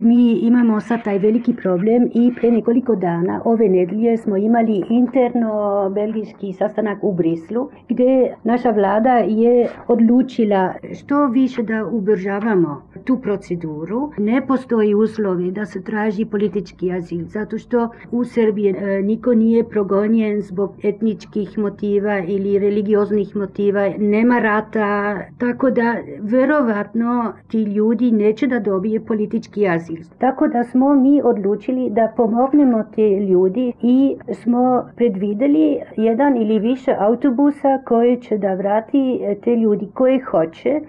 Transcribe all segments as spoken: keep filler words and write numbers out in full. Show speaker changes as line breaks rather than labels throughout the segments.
Mi imamo sad taj veliki problem i pre nekoliko dana, ove nedelje, smo imali interno belgijski sastanak u Brislu, gdje naša vlada je odlučila što više da ubrzavamo tu proceduru. Ne postoji uslovi da se traži politički azil, zato što u Srbiji e, niko nije progonjen zbog etničkih motiva ili religioznih motiva, nema rata, tako da verovatno ti ljudi neće da dobije politički azil. Tako da smo mi odlučili da pomognemo te ljudi i smo predvideli jedan ili više autobusa koji će da vrati te ljudi koji hoće.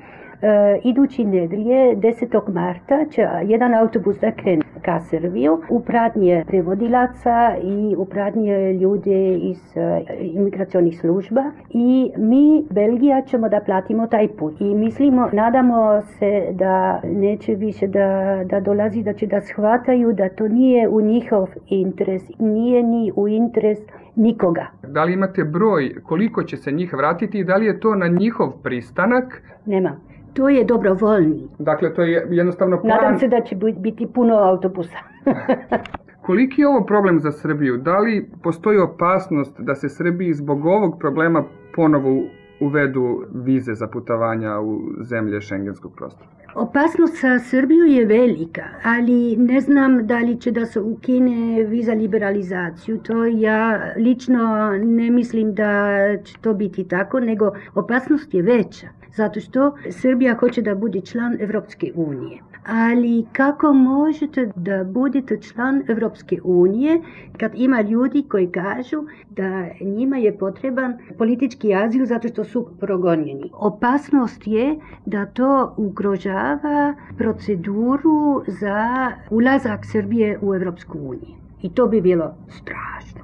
Uh, idući nedelje, desetog marta, će jedan autobus da krene ka Srbiju u pratnje prevodilaca i u pratnje ljude iz uh, imigracionih služba i mi, Belgija, ćemo da platimo taj put. I mislimo, nadamo se da neće više da, da dolazi, da će da shvataju da to nije u njihov interes, nije ni u interes nikoga.
Da li imate broj koliko će se njih vratiti i da li je to na njihov pristanak?
Nema. To je dobrovoljni.
Dakle, to je jednostavno plan...
Nadam se da će biti puno autobusa.
Koliki je ovo problem za Srbiju? Da li postoji opasnost da se Srbiji zbog ovog problema ponovo uvedu vize za putovanja u zemlje šengenskog prostora?
Opasnost za Srbiju je velika, ali ne znam da li će da se ukine viza liberalizaciju. To ja lično ne mislim da će to biti tako, nego opasnost je veća. Zato što Srbija hoće da bude član Evropske unije. Ali kako možete da budete član Evropske unije kad ima ljudi koji kažu da njima je potreban politički azil zato što su progonjeni? Opasnost je da to ugrožava proceduru za ulazak Srbije u Evropsku uniju. I to bi bilo strašno.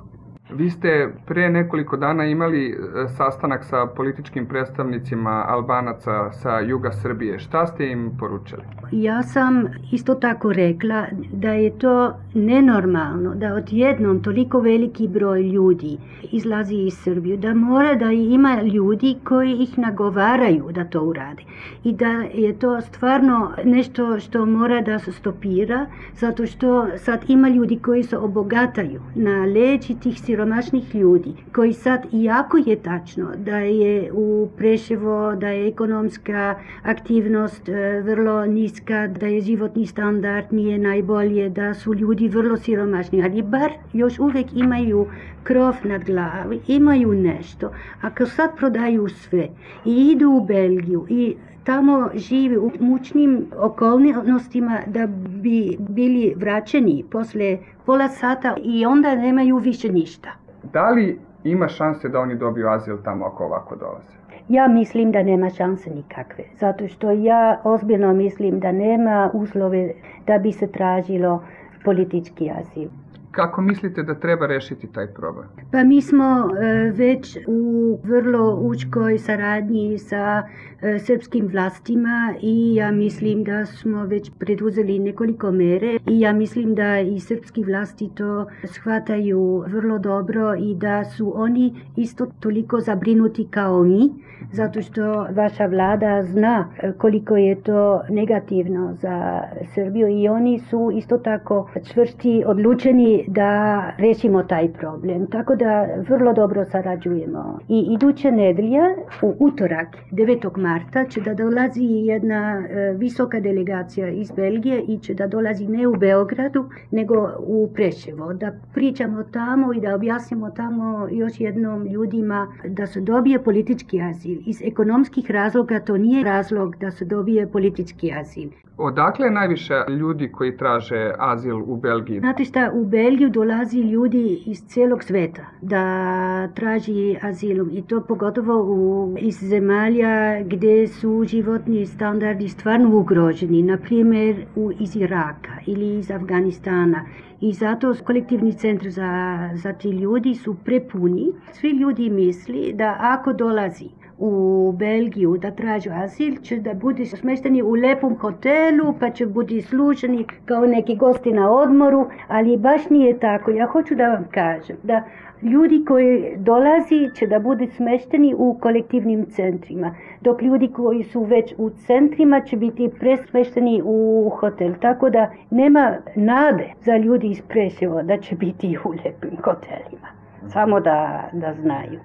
Vi ste pre nekoliko dana imali sastanak sa političkim predstavnicima Albanaca sa juga Srbije. Šta ste im poručili?
Ja sam isto tako rekla da je to nenormalno da odjednom toliko veliki broj ljudi izlazi iz Srbije, da mora da ima ljudi koji ih nagovaraju da to urade. I da je to stvarno nešto što mora da se stopira, zato što sad ima ljudi koji se obogataju na leđi tih siromašnih ljudi, koji sad, iako je tačno da je u Preševo, da je ekonomska aktivnost vrlo niska, da je životni standard nije najbolje, da su ljudi vrlo siromašni, ali bar još uvijek imaju krov nad glavi, imaju nešto. Ako sad prodaju sve i idu u Belgiju i tamo žive u mučnim okolnostima da bi bili vraćeni posle pola sata i onda nemaju više ništa.
Da li ima šanse da oni dobiju azil tamo ako ovako dolaze?
Ja mislim da nema šanse nikakve, zato što ja ozbiljno mislim da nema uslove da bi se tražilo politički azil.
Kako mislite da treba rešiti taj problem?
Pa mi smo e, već u vrlo uskoj saradnji sa e, srpskim vlastima i ja mislim da smo već preduzeli nekoliko mere i ja mislim da i srpski vlasti to shvataju vrlo dobro i da su oni isto toliko zabrinuti kao mi, zato što vaša vlada zna koliko je to negativno za Srbiju i oni su isto tako čvrsti, odlučeni da rešimo taj problem. Tako da vrlo dobro sarađujemo. I iduće nedelje, u utorak, devetog marta, će da dolazi jedna e, visoka delegacija iz Belgije i će da dolazi ne u Beogradu, nego u Preševo. Da pričamo tamo i da objasnimo tamo još jednom ljudima da se dobije politički azil. Iz ekonomskih razloga to nije razlog da se dobije politički azil.
Odakle je najviše ljudi koji traže azil u Belgiji?
Znate šta, u Belgiju dolazi ljudi iz cijelog sveta da traži azil i to pogotovo u, iz zemalja gdje su životni standardi stvarno ugroženi, na primjer u, iz Iraka ili iz Afganistana. I zato kolektivni centri za, za ti ljudi su prepuni. Svi ljudi misli da ako dolazi u Belgiju da traže azil, će da budu smešteni u lepom hotelu, pa će budu služeni kao neki gosti na odmoru, ali baš nije tako. Ja hoću da vam kažem da ljudi koji dolazi će da budu smešteni u kolektivnim centrima, dok ljudi koji su već u centrima će biti presmešteni u hotel. Tako da nema nade za ljudi iz Preševa da će biti u lepim hotelima. Samo da, da znaju.